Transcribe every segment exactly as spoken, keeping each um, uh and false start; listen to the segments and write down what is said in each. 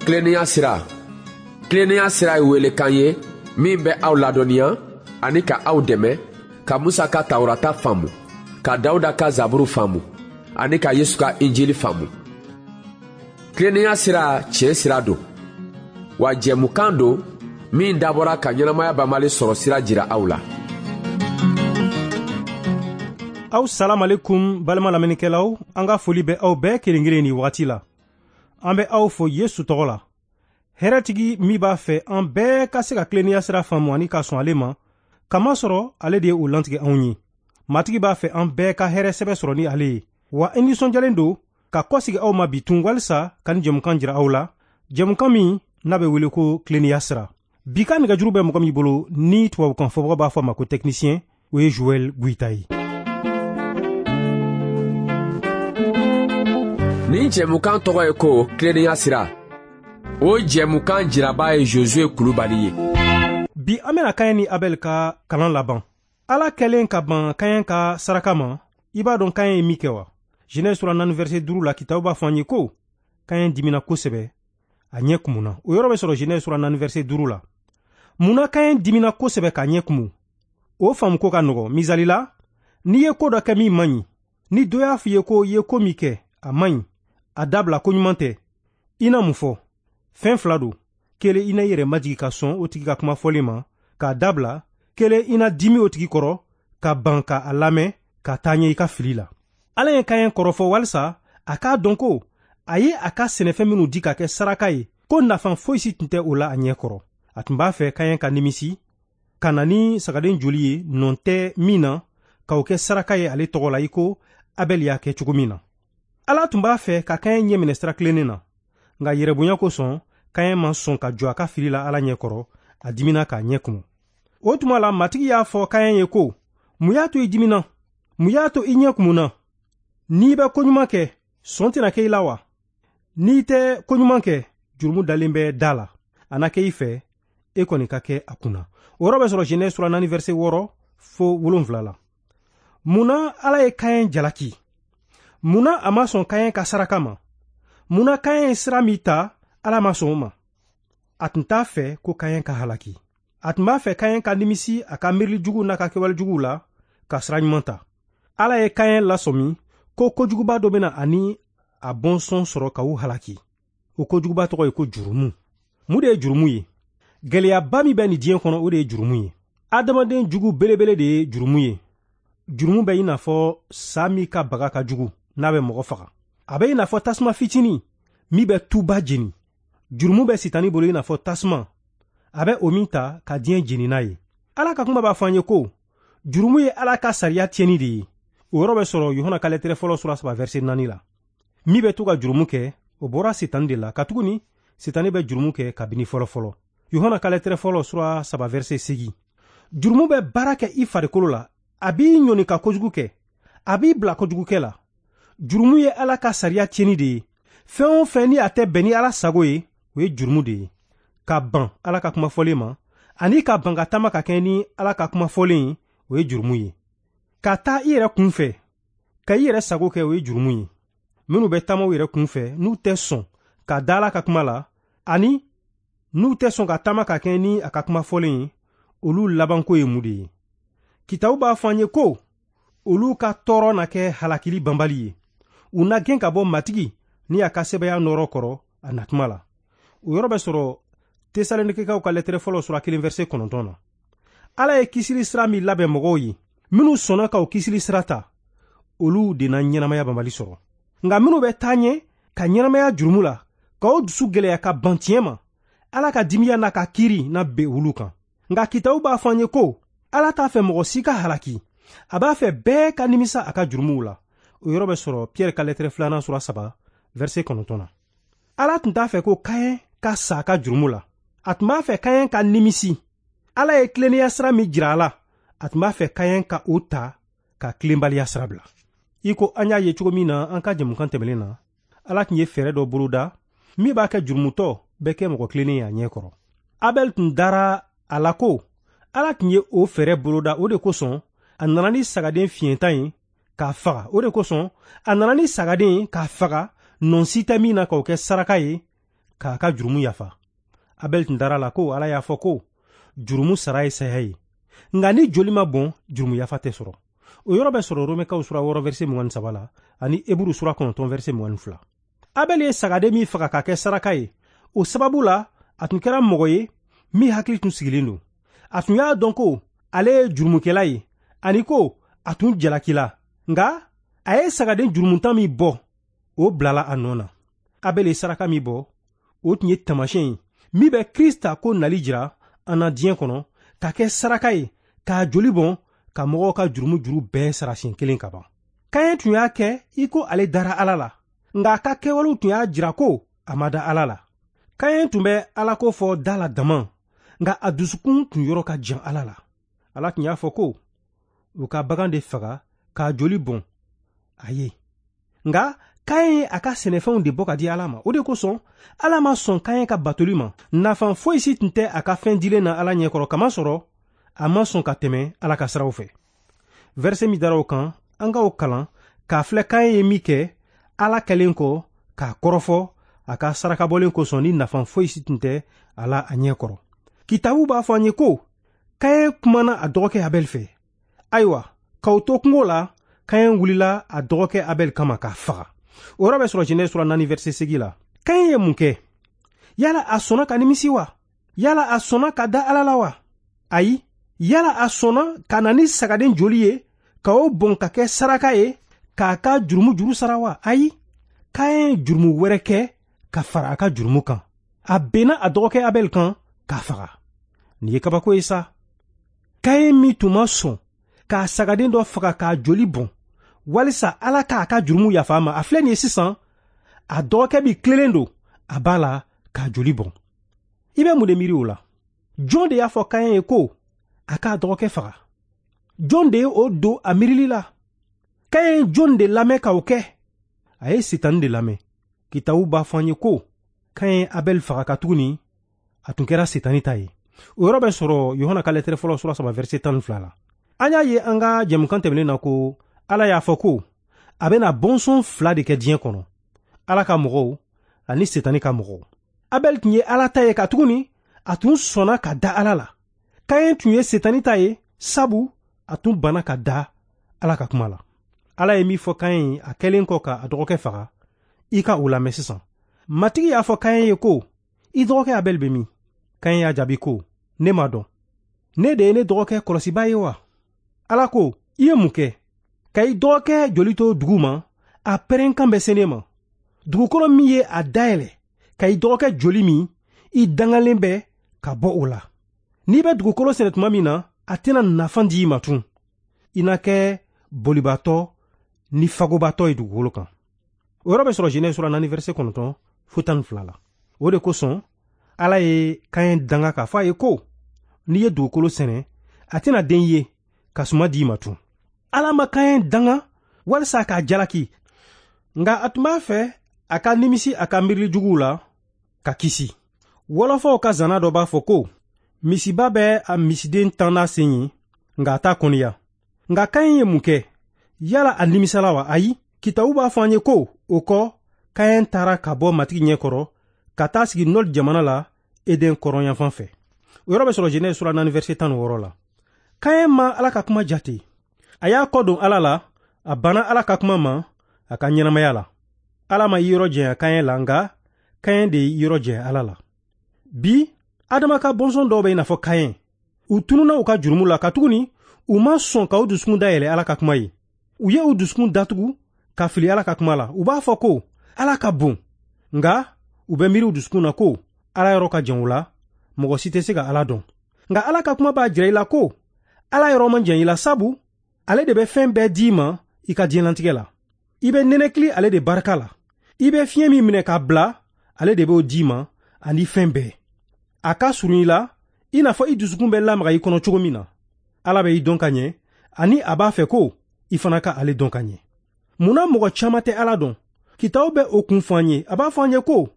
Tilennenya sira. Tilennenya sira ye welekan ye min bɛ aw ladɔnniya ani ka aw dɛmɛ ka Musa ka Tawurata faamu, ka Dawuda ka Zaburu faamu ani ka Yesu ka Injili faamu. Tilennenya sira tiɲɛ sira don, wa jɛmukan don min dabɔra ka ɲɛnamaya banbali sɔrɔ sira jira aw la. Aw salamalekum balima lamɛnnikɛlaw, an ka foli bɛ aw bɛɛ kelen kelen nin wagati la. An bɛ aw fo Yesu tɔgɔ la. Hɛrɛtigi min b'a fɛ an bɛɛ ka se ka tilennenya sira faamu ani ka sɔn ale ma, kamasɔrɔ ale de ye o lantigɛ anw ye. Matigi b'a fɛ an bɛɛ ka hɛrɛ sɛbɛ sɔrɔ ni ale ye. Wa an nisɔndiyalen don ka kɔsigi aw ma bi tun walisa ka ni jɛmukan jira aw la, jɛmukan min n'a bɛ wele ko tilennenya sira. Bi ka nɛgɛjuru bɛ mɔgɔ min bolo ni tubabukan fɔbaga b'a fɔ a ma ko technicien, o ye Joël Goïta ye. Nin jɛmukan tɔgɔ ye ko tilennenya sira. O jɛmukan jiraba ye Josué Kulubali ye. Bi an bɛna Kaɲɛ ni Abɛl ka kalan laban. Ala kɛlen ka ban Kaɲɛ ka saraka ma, i b'a dɔn Kaɲɛ ye min kɛ wa? Genèse sura naani verset duuru la, kitabu b'a fɔ an ye ko Kaɲɛ dimina kosɛbɛ, a ɲɛ kumuna. O yɔrɔ bɛ sɔrɔ Genèse sura naani verset duuru la. Munna Kaɲɛ dimina kosɛbɛ k'a ɲɛ kumu? O faamu ko ka nɔgɔn. Misali la, n'i ye ko dɔ kɛ min man ɲi, ni dɔ y'a f'i ye ko i ye ko min kɛ a man ɲi, a dabila ko ɲuman tɛ, i na mun fɔ? Fɛn fila don. Kelen, i na i yɛrɛ majigi ka sɔn o tigi ka kuma fɔlen ma k'a dabila. Kelen, i na dimi o tigi kɔrɔ ka ban ka a lamɛn ka taa ɲɛ i ka fili la. Ala ye Kaɲɛ kɔrɔfɔ walisa a k'a dɔn ko a ye a ka sɛnɛfɛn minnu di ka kɛ saraka ye, ko nafa foyi si tun tɛ o la a ɲɛ kɔrɔ. A tun b'a fɛ Kaɲɛ ka nimisi ka na ni sagaden joli ye nɔn tɛ min na k'o kɛ saraka ye ale tɔgɔ la, i ko Abɛl y'a kɛ cogo min na. Ala tun b'a fɛ ka Kaɲɛ ɲɛ minɛ sira tilennen na, nka yɛrɛbonya kosɔn Kaɲɛ ma sɔn ka jɔ a ka fili la Ala ɲɛ kɔrɔ, a dimina k'a ɲɛ kumu. O tuma la, Matigi y'a fɔ Kaɲɛ ye ko, mun y'a to i dimina? Mun y'a to i ɲɛ kumuna? N'i bɛ koɲuman kɛ, sɔn tɛna kɛ i la wa? N'i tɛ koɲuman kɛ, jurumu dalen bɛ da la. A na kɛ i fɛ, e kɔni ka kɛ a kunna. O yɔrɔ bɛ sɔrɔ Genèse sura naani verset wɔɔrɔ fo wolonfila la. Munna Ala ye Kaɲɛ jalaki? Munna a ma sɔn Kaɲɛ ka saraka ma? Munna Kaɲɛ ye sira min ta, Ala ma sɔn o ma? A tun t'a fɛ ko Kaɲɛ ka halaki. A tun b'a fɛ Kaɲɛ ka nimisi a ka miirili juguw n'a ka kɛwale juguw la ka sira ɲuman ta. Ala ye Kaɲɛ lasɔmi ko kojuguba dɔ bɛna ani a bɔnsɔn sɔrɔ ka u halaki. O kojuguba tɔgɔ ye ko jurumu. Mun de ye jurumu ye? Gɛlɛyaba min bɛ nin diɲɛ kɔnɔ, o de ye jurumu ye. Adamaden jugu belebele de ye jurumu ye. Jurumu bɛ i n'a fɔ sa min ka baga ka jugu n'a bɛ mɔgɔ faga. A bɛ i n'a fɔ tasuma fitinin min bɛ tuba jeni. Jurumu bɛ sitani bolo i n'a fɔ tasuma, a bɛ o min ta ka diɲɛ jeni n'a ye. Ala ka kuma b'a fɔ an ye ko jurumu ye Ala ka sariya tiɲɛni de ye. O yɔrɔ bɛ sɔrɔ Yohana ka lɛtɛrɛ fɔlɔ sura saba verset naani la. Min bɛ to ka jurumu kɛ, o bɔra sitani de la, katuguni sitani bɛ jurumu kɛ kabini fɔlɔ fɔlɔ. Yohana ka lɛtɛrɛ fɔlɔ sura saba verset seegin. Jurumu bɛ baara kɛ i farikolo la, a b'i ɲɔni ka kojugu kɛ, a b'i bila kojugukɛ la. Jurumu ye Ala ka sariya tiɲɛni de ye. Fɛn o fɛn ni a tɛ bɛn ni Ala sago ye, o ye jurumu de ye. Ka ban Ala ka kuma fɔlen ma, ani ka ban ka taama ka kɛɲɛ ni Ala ka kuma fɔlen ye, o ye jurumu ye. Ka taa i yɛrɛ kun fɛ, ka i yɛrɛ sago kɛ, o ye jurumu ye. Minnu bɛ taama u yɛrɛ kun fɛ, n'u tɛ sɔn ka da Ala ka kuma la, ani n'u tɛ sɔn ka taama ka kɛɲɛ ni a ka kuma fɔlen ye, olu labanko ye mun de ye? Kitabu b'a fɔ an ye ko olu ka tɔɔrɔ na kɛ halakili banbali ye. U na gɛn ka bɔ Matigi ni a ka sɛbɛya nɔrɔ kɔrɔ a natuma la. O yɔrɔ bɛ sɔrɔ Tesalonikɛkaw ka lɛtɛrɛ fɔlɔ sura kelen verset kɔnɔntɔn na. Ala ye kisili sira min labɛn mɔgɔw ye, minnu sɔnna ka o kisili sira ta, olu de na ɲɛnamaya banbali sɔrɔ. Nka minnu bɛ taa ɲɛ ka ɲɛnamaya jurumu la, ka o dusu gɛlɛya ka ban tiɲɛ ma, Ala ka dimiya n'a ka kiiri na ben olu kan. Nka kitabu b'a fɔ an ye ko Ala t'a fɛ mɔgɔ si ka halaki, a b'a fɛ bɛɛ ka nimisa a ka jurumuw la. O yɔrɔ bɛ sɔrɔ Pierre ka lɛtɛrɛ filanan sura saba verset kɔnɔntɔn na. Ala tun t'a fɛ ko Kaɲɛ ka sa a ka jurumu la. A tun b'a fɛ Kaɲɛ ka nimisi. Ala ye tilennenya sira min jira a la, a tun b'a fɛ Kaɲɛ ka o ta ka tilenbaliya sira bila. I ko an y'a ye cogo min na an ka jɛmukan tɛmɛnen na, Ala tun ye fɛɛrɛ dɔ boloda min b'a kɛ jurumutɔ bɛ kɛ mɔgɔ tilennen ye a ɲɛ kɔrɔ. Abɛl tun dara a la ko Ala tun ye o fɛɛrɛ boloda, o de kosɔn a nana ni sagaden fiɲɛtan ye k'a faga. O de kosɔn a nana ni sagaden ye k'a faga, nɔn si tɛ min na k'o kɛ saraka ye k'a ka jurumu yafa. Abɛl tun dara la ko Ala y'a fɔ ko jurumu sara ye saya ye. Nka ni joli ma bɔn, jurumu yafa tɛ sɔrɔ. O yɔrɔ bɛ sɔrɔ Romɛkaw sura wɔɔrɔ verset mugan ni saba la ani Eburu sura kɔnɔntɔn verset mugan ni fila. Abɛl ye sagaden min faga k'a kɛ saraka ye, o sababu la a tun kɛra mɔgɔ ye min hakili tun sigilen don. A tun y'a dɔn ko ale ye jurumukɛla ye ani ko a tun jalakila. Nka a ye sagaden jurumuntan min bɔ, o bilala a nɔ na. Abɛl ye saraka min bɔ, o tun ye taamasiyɛn ye min bɛ Krista ko nali jira an na diɲɛ kɔnɔ ka kɛ saraka ye k'a joli bɔn ka mɔgɔw ka jurumu juru bɛɛ sara siɲɛ kelen ka ban. Kaɲɛ tun y'a kɛ i ko ale dara Ala la, nka a ka kɛwalew tun y'a jira ko a ma da Ala la. Kaɲɛ tun bɛ Ala ko fɔ da la dama, nka a dusukun tun yɔrɔ ka jan Ala la. Ala tun y'a fɔ ko u ka bagan de faga k'a joli bɔn a ye. Nka Kaɲɛ ye a ka sɛnɛfɛnw de bɔ ka di Ala ma. O de kosɔn Ala ma sɔn Kaɲɛ ka batoli ma. Nafa foyi si tun tɛ a ka fɛn dilen na Ala ɲɛkɔrɔ, kamasɔrɔ a ma sɔn ka tɛmɛ Ala ka siraw fɛ. Verset min dara o kan, an k'o kalan k'a filɛ Kaɲɛ ye min kɛ Ala kɛlen kɔ k'a kɔrɔfɔ a ka sarakabɔlen kosɔn ni nafa foyi si tun tɛ a la a ɲɛkɔrɔ. Kitabu b'a fɔ an ye ko Kaɲɛ kumana a dɔgɔkɛ Abɛl fɛ. Ayiwa, k'aw to kungo la, Kaɲɛ wulila a dɔgɔkɛ Abɛl kama k'a faga. O yɔrɔ bɛ sɔrɔ Genèse sura naani verset seegin la. Kaɲɛ ye mun kɛ? Yala a sɔnna ka nimisi wa? Yala a sɔnna ka da Ala la wa? Ayi. Yala a sɔnna ka na ni sagaden joli ye ka o bɔn ka kɛ saraka ye k'a ka jurumu juru sara wa? Ayi. Kaɲɛ ye jurumu wɛrɛ kɛ ka fara a ka jurumu kan. A benna a dɔgɔkɛ Abɛl kan k'a faga. Nin ye kabako ye sa. Kaɲɛ min tun ma sɔn k'a sagaden dɔ faga k'a joli bɔn walisa Ala k'a ka jurumu yafa a ma, a filɛ nin ye sisan, a dɔgɔkɛ bi tilelen don a b'a la k'a joli bɔn. I bɛ mun de miiri o la? Jɔn de y'a fɔ Kaɲɛ ye ko a k'a dɔgɔkɛ faga? Jɔn de ye o don a miirili la? Kaɲɛ ye jɔn de lamɛn k'o kɛ? A ye Sitani de lamɛn. Kitabu b'a fɔ an ye ko Kaɲɛ ye Abɛl faga katuguni a tun kɛra Sitani ta ye. O yɔrɔ bɛ sɔrɔ Yohana ka lɛtɛrɛ fɔlɔ sura saba verset tan ni fila la. An y'a ye an ka jɛmukan tɛmɛnen na ko Ala y'a fɔ ko a bɛna bɔnsɔn fila de kɛ diɲɛ kɔnɔ, Ala ka mɔgɔw ani Sitani ka mɔgɔw. Abɛl tun ye Ala ta ye katuguni a tun sɔnna ka da Ala la. Kaɲɛ tun ye Sitani ta ye sabu a tun banna ka da Ala ka kuma la. Ala ye min fɔ Kaɲɛ ye a kɛlen kɔ ka a dɔgɔkɛ faga, i ka o lamɛn sisan. Matigi y'a fɔ Kaɲɛ ye ko i dɔgɔkɛ Abɛl bɛ min? Kaɲɛ y'a jaabi ko ne m'a dɔn. Ne de ye ne dɔgɔkɛ kɔlɔsibaa ye wa? Ala ko i ye mun kɛ? Ka i dɔgɔkɛ joli to dugu ma, a pɛrɛnkan bɛ se ne ma. Dugukolo min ye a dayɛlɛ ka i dɔgɔkɛ joli min, i dangalen bɛ ka bɔ o la. N'i bɛ dugukolo sɛnɛ tuma min na, a tɛna nafa di i ma tun. I na kɛ bolibatɔ ni fagobatɔ ye dugukolo kan. O yɔrɔ bɛ sɔrɔ Genèse sura naani verset kɔnɔntɔn fo tan ni fila la. O de kosɔn Ala ye Kaɲɛ danga k'a fɔ a ye ko n'i ye dugukolo sɛnɛ, a tɛna den ye ka suma di i ma tun. Ala ma Kaɲɛ danga walisa k'a jalaki, nka a tun b'a fɛ a ka nimisi a ka miirili juguw la ka kisi. Wɔlɔfɔw ka zana dɔ b'a fɔ ko misiba bɛ a misiden tan n'a sen ye, nka a t'a kɔniya. Nka Kaɲɛ ye mun kɛ? Yala a nimisala wa? Ayi. Kitabu b'a fɔ an ye ko o kɔ Kaɲɛ taara ka bɔ Matigi ɲɛkɔrɔ ka taa sigi Nɔd jamana la Eden kɔrɔnyanfan fɛ. O yɔrɔ bɛ sɔrɔ Genèse sura naani verset tan ni wɔɔrɔ la. Kaɲɛ ma Ala ka kuma jate. A y'a kɔ don Ala la, a banna Ala ka kuma ma a ka ɲɛnamaya la. Ala ma i yɔrɔ janya Kaɲɛ la, nka Kaɲɛ de y'i yɔrɔ janya Ala la. Bi, Adama ka bɔnsɔn dɔw bɛ i n'a fɔ Kaɲɛ. U tununa u ka jurumu la katuguni u ma sɔn ka u dusukun dayɛlɛ Ala ka kuma ye. U ye u dusukun datugu ka fili Ala ka kuma la. U b'a fɔ ko Ala ka bon, nka u bɛ miiri u dusukun na ko Ala yɔrɔ ka jan u la, mɔgɔ si tɛ se ka Ala dɔn. Nka Ala ka kuma b'a jira i la ko Ala yɔrɔ man jan i la, sabu ale de bɛ fɛn bɛɛ d'i ma i ka diɲɛlatigɛ la. I bɛ nɛnɛkili ale de barika la. I bɛ fiɲɛ min minɛ k'a bila, ale de b'o d'i ma ani fɛn bɛɛ. A ka surun i la i n'a fɔ i dusukun bɛ lamaga i kɔnɔ cogo min na. Ala bɛ i dɔn ka ɲɛ ani a b'a fɛ ko i fana ka ale dɔn ka ɲɛ. Munna mɔgɔ caman tɛ Ala dɔn? Kitabu bɛ o kun fɔ an ye. A b'a fɔ an ye ko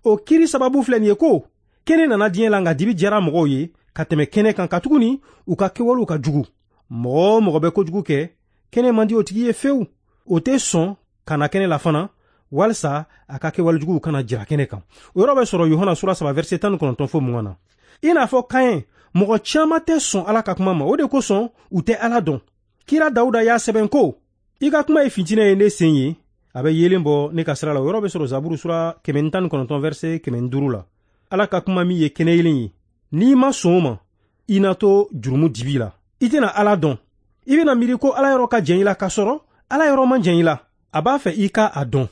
o kiri sababu filɛ nin ye ko kɛnɛ nana diɲɛ la, nka dibi diyara mɔgɔw ye ka tɛmɛ kɛnɛ kan katuguni u ka kɛwalew ka jugu. Mɔgɔ o mɔgɔ bɛ kojugu kɛ, kɛnɛ man di o tigi ye fewu. O tɛ sɔn ka na kɛnɛ la fana walisa a ka kɛwalejuguw kana jira kɛnɛ kan. O yɔrɔ bɛ sɔrɔ Yohana sura saba verset tan ni kɔnɔntɔn fo mugan na. I n'a fɔ Kaɲɛ, mɔgɔ caman tɛ sɔn Ala ka kuma ma, o de kosɔn u tɛ Ala dɔn. Kira Dawuda y'a sɛbɛn ko, i ka kuma ye fitinɛ ye ne sen ye, a bɛ yeelen bɔ ne ka sira la. O yɔrɔ bɛ sɔrɔ Zaburu sura kɛmɛ ni tan ni kɔnɔntɔn verset kɛmɛ ni duuru la. Ala ka kuma min ye kɛnɛ yeelen ye, n'i ma sɔn o ma, i na to jurumu dibi la. I tɛna Ala dɔn. I bɛna miiri ko Ala yɔrɔ ka jan i la, k'a sɔrɔ Ala yɔrɔ man jan i la. A b'a fɛ i ka a dɔn.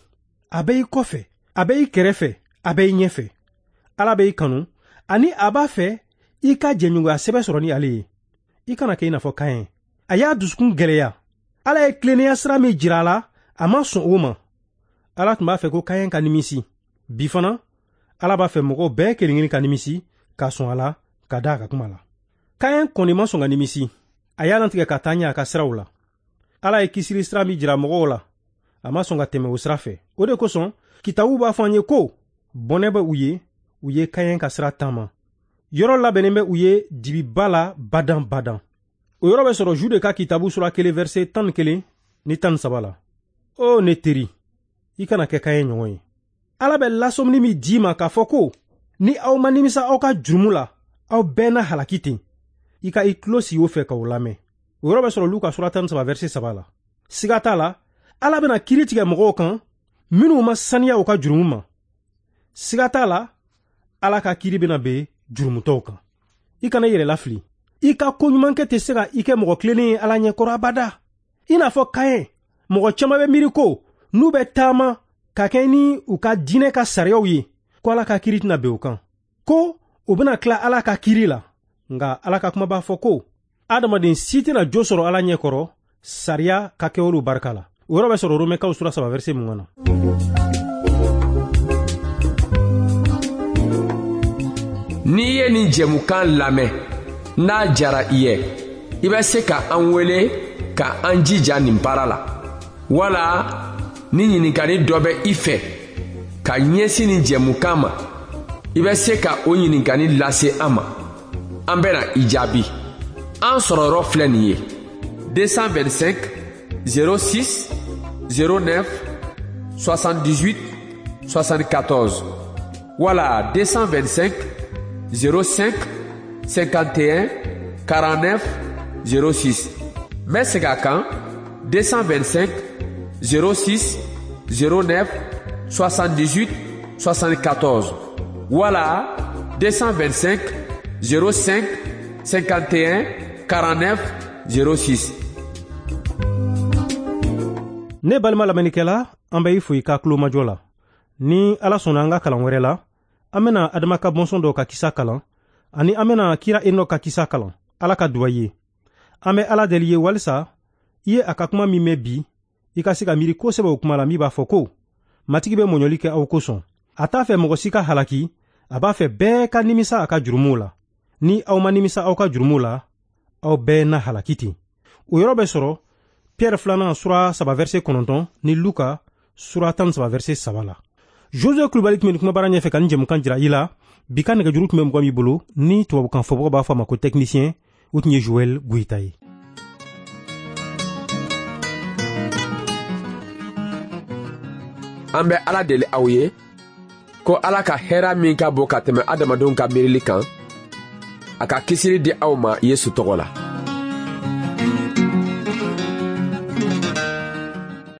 A bɛ i kɔfɛ, a bɛ i kɛrɛfɛ, a bɛ i ɲɛfɛ. Ala bɛ i kanu, ani a b'a fɛ i ka jɛɲɔgɔnya sɛbɛ sɔrɔ ni ale ye. I kana kɛ i n'a fɔ Kaɲɛ. A y'a dusukun gɛlɛya. Ala ye tilennenya sira min jira a la, a ma sɔn o ma. Ala tun b'a fɛ ko Kaɲɛ ka nimisi. Bi fana, Ala b'a fɛ mɔgɔw bɛɛ kelen-kelen ka nimisi, ka sɔn a la, ka da a ka kuma la. Kaɲɛ kɔni ma sɔn ka nimisi. A y'a latigɛ ka taa ɲɛ a ka siraw la. Ala ye kisili sira min jira mɔgɔw la, a ma sɔn ka tɛmɛ o sira fɛ. O de kosɔn, kitabu b'a fɔ an ye ko bɔnɛ bɛ u ye, u ye Kaɲɛ ka sira taama. Yɔrɔ labɛnnen bɛ u ye dibiba la badan badan. O yɔrɔ bɛ sɔrɔ Jude ka kitabu sura kelen verset tan ni kelen ni tan ni saba la. O ne teri, i kana kɛ Kaɲɛ ɲɔgɔn ye. Ala bɛ lasɔmini min d'i ma k'a fɔ ko ni aw ma nimisa aw ka jurumu la, aw bɛɛ na halaki ten. I ka i tulo sigi o fɛ k'o lamɛn. O yɔrɔ bɛ sɔrɔ Luka sura tan ni saba verset saba la. Siga t'a la, Ala bɛna kiiri tigɛ mɔgɔw kan minnu ma saniya u ka jurumu ma. Siga t'a la, Ala ka kiiri bɛna ben jurumutɔw kan. I kana i yɛrɛ lafili. I ka koɲumankɛ tɛ se ka i kɛ mɔgɔ tilennen ye Ala ɲɛkɔrɔ abada. I n'a fɔ Kaɲɛ, mɔgɔ caman bɛ miiri ko n'u bɛ taama ka kɛ ni u ka diinɛ ka sariyaw ye, ko Ala ka kiiri tɛna ben o kan, ko u bɛna tila Ala ka kiiri la. Nka Ala ka kuma b'a fɔ ko adamaden si tɛna jo sɔrɔ Ala ɲɛkɔrɔ sariya ka kɛwalew barika la. O yɔrɔ bɛ sɔrɔ Romɛkaw sura saba verset mugan na. N'i ye nin jɛmukan lamɛn, n'a jara i ye, i bɛ se ka an wele ka an jija nin baara la. Wala ni ɲininkali dɔ bɛ i fɛ ka ɲɛsin nin jɛmukan ma, i bɛ se ka o ɲininkali lase an ma. An bɛna i jaabi. An sɔrɔyɔrɔ filɛ nin ye: deux cent vingt-cinq zéro six zéro neuf soixante-dix-huit soixante-quatorze wala deux cent vingt-cinq zéro cinq cinquante et un quarante-neuf zéro six. N bɛ segin a kan: deux cent vingt-cinq zéro six zéro neuf soixante-dix-huit soixante-quatorze wala deux cent vingt-cinq zéro cinq cinquante et un quarante-neuf zéro six. Ne balima lamɛnnikɛla, an bɛ i fo i ka tulomajɔ la. Ni Ala sɔnna an ka kalan wɛrɛ la, an bɛna Adama ka bɔnsɔn dɔw ka kisa kalan, ani an bɛna kira Enɔk ka kisa kalan. Ala ka duwa ye. An bɛ Ala deli ye walisa i ye a ka kuma min mɛn bi, i ka se ka miiri kosɛbɛ o kuma la min b'a fɔ ko Matigi bɛ mɔɲɔli kɛ aw kosɔn. A t'a fɛ mɔgɔ si ka halaki, a b'a fɛ bɛɛ ka nimisa a ka jurumuw la. Ni aw ma nimisa aw ka jurumuw la, aw bɛɛ na halaki ten. O yɔrɔ bɛ sɔrɔ Pierre filanan sura saba verset kɔnɔntɔn ni Luka sura tan ni saba verset saba la. Josue Kulubali tun bɛ nin kumabara ɲɛfɛ ka nin jɛmukan jira i la. Bi ka nɛgɛjuru tun bɛ mɔgɔ min bolo ni tubabukan fɔbagaw b'a fɔ a ma ko technicien, o tun ye Joël Goyita ye. An bɛ Ala deli aw ye ko Ala ka hɛrɛ min ka bon ka tɛmɛ adamadenw ka miirili kan, a ka kisili di aw ma Yesu tɔgɔ la.